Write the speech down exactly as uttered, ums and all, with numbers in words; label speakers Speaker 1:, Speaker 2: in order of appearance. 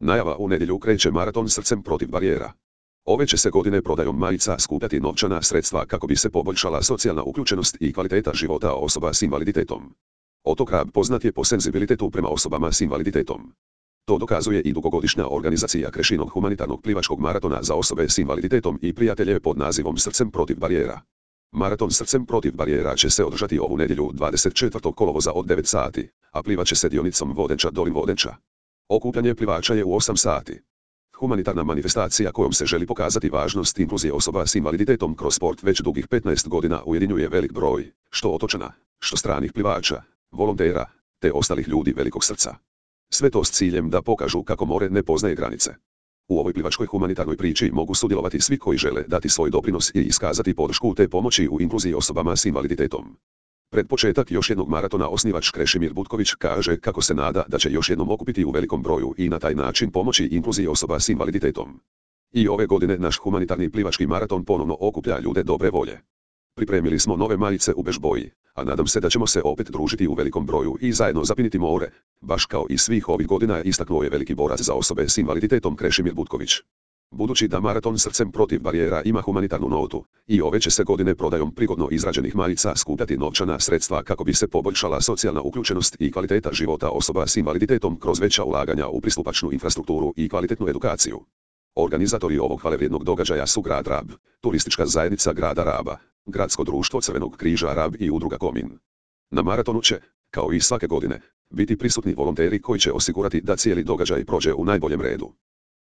Speaker 1: Najava: u nedjelju kreće maraton Srcem protiv barijera. Ove će se godine prodajom majica skupljati novčana sredstva kako bi se poboljšala socijalna uključenost i kvaliteta života osoba s invaliditetom. Otok Rab poznat je po senzibilitetu prema osobama s invaliditetom. To dokazuje i dugogodišnja organizacija Krešinog humanitarnog plivačkog maratona za osobe s invaliditetom i prijatelje pod nazivom Srcem protiv barijera. Maraton Srcem protiv barijera će se održati ovu nedjelju dvadeset četvrtog kolovoza od devet sati, a plivat će se dionicom Vodenča-Dolin-Vodenča. Okupljanje plivača je u osam sati. Humanitarna manifestacija kojom se želi pokazati važnost inkluzije osoba s invaliditetom kroz sport već dugih petnaest godina ujedinjuje velik broj, što otočana, što stranih plivača, volontera, te ostalih ljudi velikog srca. Sve to s ciljem da pokažu kako more ne poznaje granice. U ovoj plivačkoj humanitarnoj priči mogu sudjelovati svi koji žele dati svoj doprinos i iskazati podršku te pomoći u inkluziji osobama s invaliditetom. Pred početak još jednog maratona osnivač Krešimir Butković kaže kako se nada da će još jednom okupiti u velikom broju i na taj način pomoći inkluziji osoba s invaliditetom. I ove godine naš humanitarni plivački maraton ponovno okuplja ljude dobre volje. Pripremili smo nove majice u bež boji, a nadam se da ćemo se opet družiti u velikom broju i zajedno zapiniti more, baš kao i svih ovih godina, istaknuo je veliki borac za osobe s invaliditetom Krešimir Butković. Budući da maraton Srcem protiv barijera ima humanitarnu notu, i ove će se godine prodajom prigodno izrađenih majica skupljati novčana sredstva kako bi se poboljšala socijalna uključenost i kvaliteta života osoba s invaliditetom kroz veća ulaganja u pristupačnu infrastrukturu i kvalitetnu edukaciju. Organizatori ovog hvalevrijednog događaja su grad Rab, turistička zajednica grada Raba, Gradsko društvo Crvenog križa Rab i udruga Komin. Na maratonu će, kao i svake godine, biti prisutni volonteri koji će osigurati da cijeli događaj prođe u najboljem redu.